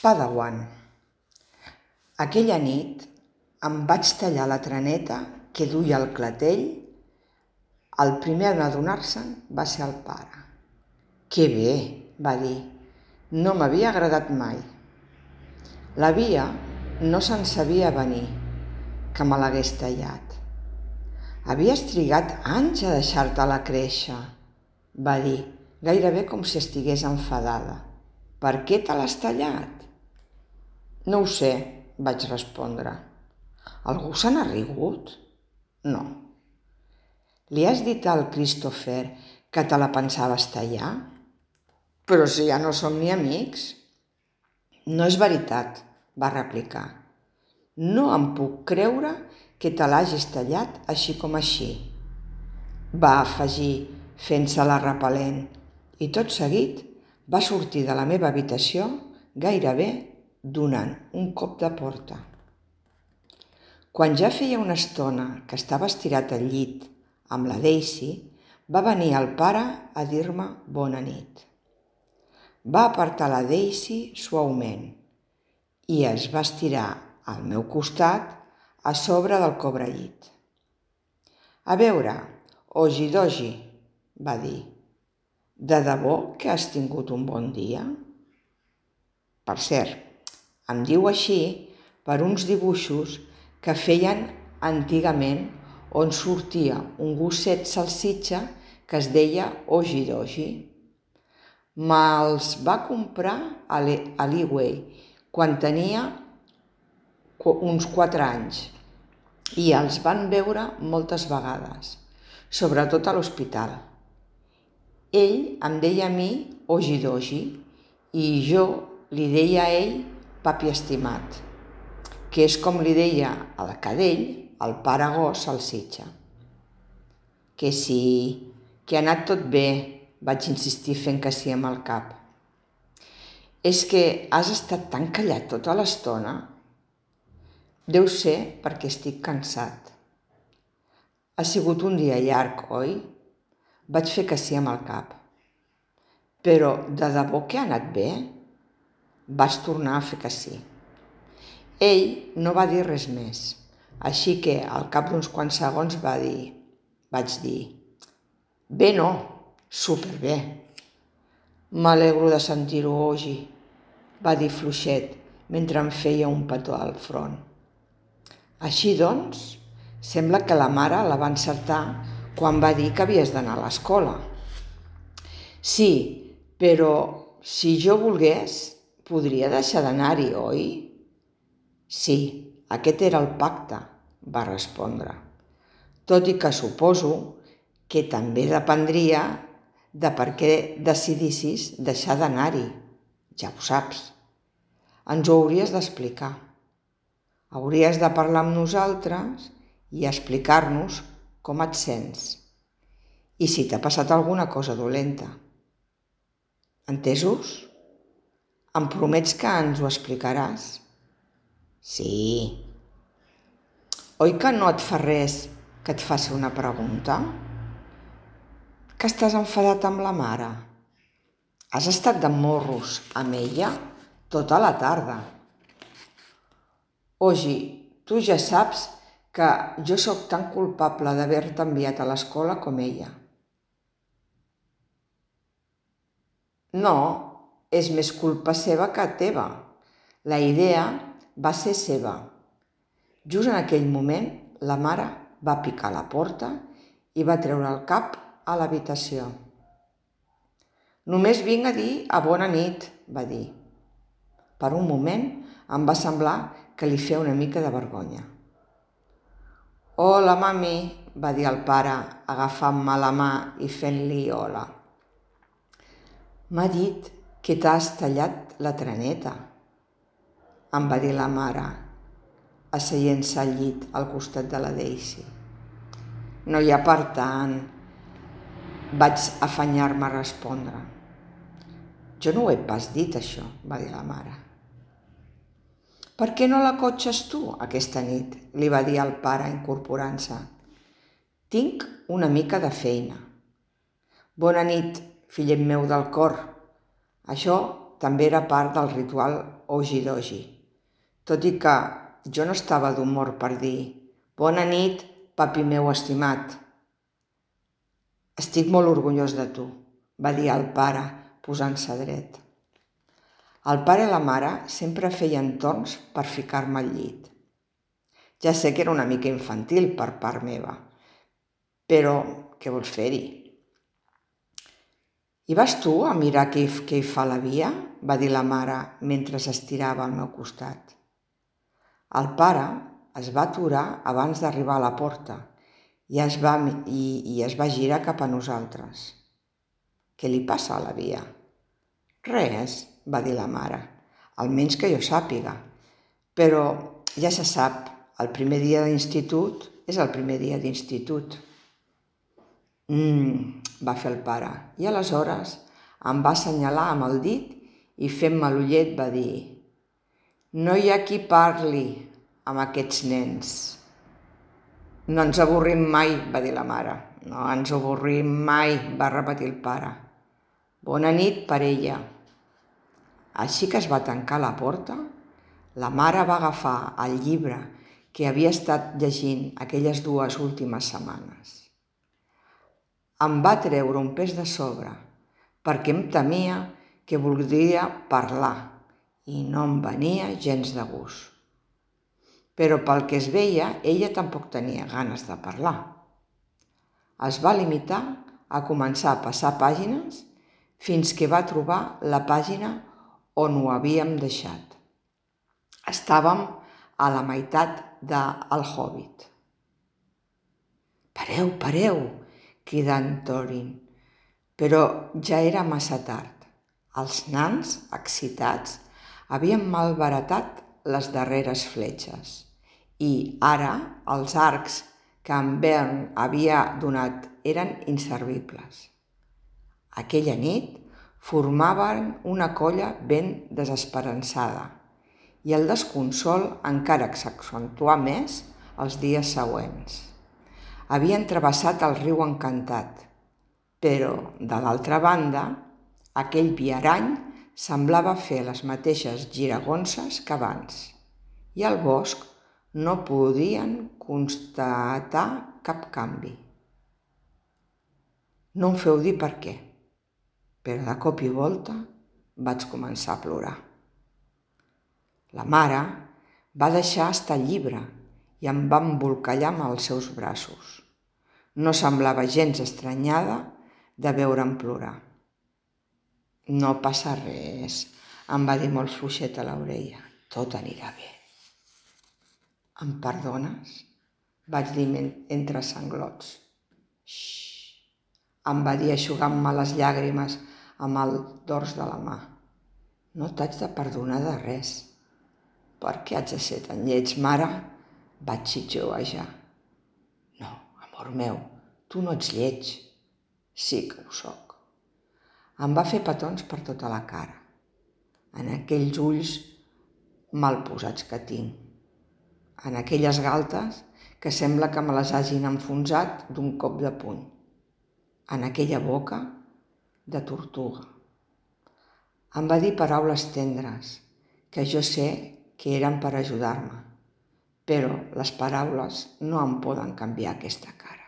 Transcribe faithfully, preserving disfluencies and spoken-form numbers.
Padawan. Aquella nit em vaig tallar la traneta que duia al clatell. El primer en adonar-se'n va ser el pare. «Que bé», va dir, «no m'havia agradat mai». La Via no se'n sabia venir, que me l'hagués tallat. «Havies trigat anys a deixar-te-la créixer», va dir, gairebé com si estigués enfadada. «Per què te l'has tallat?» «No ho sé», vaig respondre. «Algú se n'ha rigut?» «No». «Li has dit al Christopher que te la pensaves tallar?» «Però si ja no som ni amics». «No és veritat», va replicar. «No em puc creure que te l'hagis tallat així com així», va afegir fent-se-la repel·lent, i tot seguit va sortir de la meva habitació gairebé donant un cop de porta. Quan ja feia una estona que estava estirat al llit amb la Daisy, va venir el pare a dir-me bona nit. Va apartar la Daisy suaument i es va estirar al meu costat a sobre del cobrellit. «A veure, Oji-Doji», va dir, «de debò que has tingut un bon dia?» Per cert, em diu així per uns dibuixos que feien antigament on sortia un gosset salsitxa que es deia Oji-Doji. Me'ls va comprar a l'eWay quan tenia uns quatre anys i els van veure moltes vegades, sobretot a l'hospital. Ell em deia a mi Oji-Doji i jo li deia a ell papi estimat, que és com li deia al cadell el pare gos salsitxa. «Que sí, que ha anat tot bé», vaig insistir fent que sí amb el cap. «És que has estat tan callat tota l'estona?» «Deu ser perquè estic cansat». «Ha sigut un dia llarg, oi?» Vaig fer que sí amb el cap. «Però de debò que ha anat bé?» Vaig tornar a fer que sí. Ell no va dir res més, així que al cap d'uns quants segons va dir, vaig dir, «Bé no, superbé». «M'alegro de sentir-ho, Oji», va dir fluixet mentre em feia un petó al front. «Així doncs, sembla que la mare la va encertar quan va dir que havies d'anar a l'escola». «Sí, però si jo volgués, podria deixar d'anar-hi, oi?» «Sí, aquest era el pacte», va respondre, «tot i que suposo que també dependria de per què decidissis deixar d'anar-hi. Ja ho saps. Ens ho hauries d'explicar. Hauries de parlar amb nosaltres i explicar-nos com et sents i si t'ha passat alguna cosa dolenta. Entesos? Em promets que ens ho explicaràs?» «Sí». «Oi que no et fa res que et faci una pregunta? Que estàs enfadat amb la mare? Has estat de morros amb ella tota la tarda?» «Oji, tu ja saps que jo sóc tan culpable d'haver-te enviat a l'escola com ella». «No, és més culpa seva que teva. La idea va ser seva». Just en aquell moment, la mare va picar a la porta i va treure el cap a l'habitació. «Només vinc a dir a bona nit», va dir. Per un moment em va semblar que li feia una mica de vergonya. «Hola, mami», va dir el pare, agafant-me la mà i fent-li hola. «M'ha dit que t'has tallat la traneta», em va dir la mare, asseient-se al llit al costat de la Daisy. «No hi ha per tant», vaig afanyar-me a respondre. «Jo no ho he pas dit, això», va dir la mare. «Per què no la cotxes tu aquesta nit?», li va dir el pare incorporant-se. «Tinc una mica de feina». «Bona nit, fillet meu del cor. Això també era part del ritual ogi-dogi, tot i que jo no estava d'humor per dir «Bona nit, papi meu estimat». «Estic molt orgullós de tu», va dir el pare, posant-se dret. El pare i la mare sempre feien torns per ficar-me al llit. Ja sé que era una mica infantil per part meva, però què vols fer-hi? «I vas tu a mirar què hi, què hi fa la Via?», va dir la mare mentre s'estirava al meu costat. El pare es va aturar abans d'arribar a la porta i es va, i, i es va girar cap a nosaltres. «Què li passa a la Via?» «Res», va dir la mare, «almenys que jo sàpiga. Però ja se sap, el primer dia d'institut és el primer dia d'institut». «Mmm», va fer el pare, i aleshores em va assenyalar amb el dit i fent-me l'ullet va dir «No hi ha qui parli amb aquests nens». «No ens avorrim mai», va dir la mare. «No ens avorrim mai», va repetir el pare. «Bona nit per ella». Així que es va tancar la porta, la mare va agafar el llibre que havia estat llegint aquelles dues últimes setmanes. Em va treure un pes de sobre, perquè em temia que voldria parlar i no em venia gens de gust. Però pel que es veia, ella tampoc tenia ganes de parlar. Es va limitar a començar a passar pàgines fins que va trobar la pàgina on ho havíem deixat. Estàvem a la meitat de El Hobbit. «Pareu, pareu!», cridà en Thorin, però ja era massa tard. Els nans, excitats, havien malbaratat les darreres fletxes i ara els arcs que en Bern havia donat eren inservibles. Aquella nit formaven una colla ben desesperançada i el desconsol encara s'accentuà més els dies següents. Havien travessat el riu encantat, però, de l'altra banda, aquell viarany semblava fer les mateixes giragonses que abans i al bosc no podien constatar cap canvi. No em feu dir per què, però de cop i volta vaig començar a plorar. La mare va deixar estar el llibre i em va embolcallar amb els seus braços. No semblava gens estranyada de veure'm plorar. «No passa res», em va dir molt fluixet a l'orella. «Tot anirà bé». «Em perdones?», vaig dir entre sanglots. «Xxxt», em va dir eixugant-me les llàgrimes amb el dors de la mà. «No t'haig de perdonar de res». «Per què haig de ser tan lleig, mare?», vaig xiuxiuejar. «No, amor meu, tu no ets lleig». «Sí que ho soc». Em va fer petons per tota la cara, en aquells ulls mal posats que tinc, en aquelles galtes que sembla que me les hagin enfonsat d'un cop de puny, en aquella boca de tortuga. Em va dir paraules tendres, que jo sé que eren per ajudar-me, però les paraules no em poden canviar aquesta cara.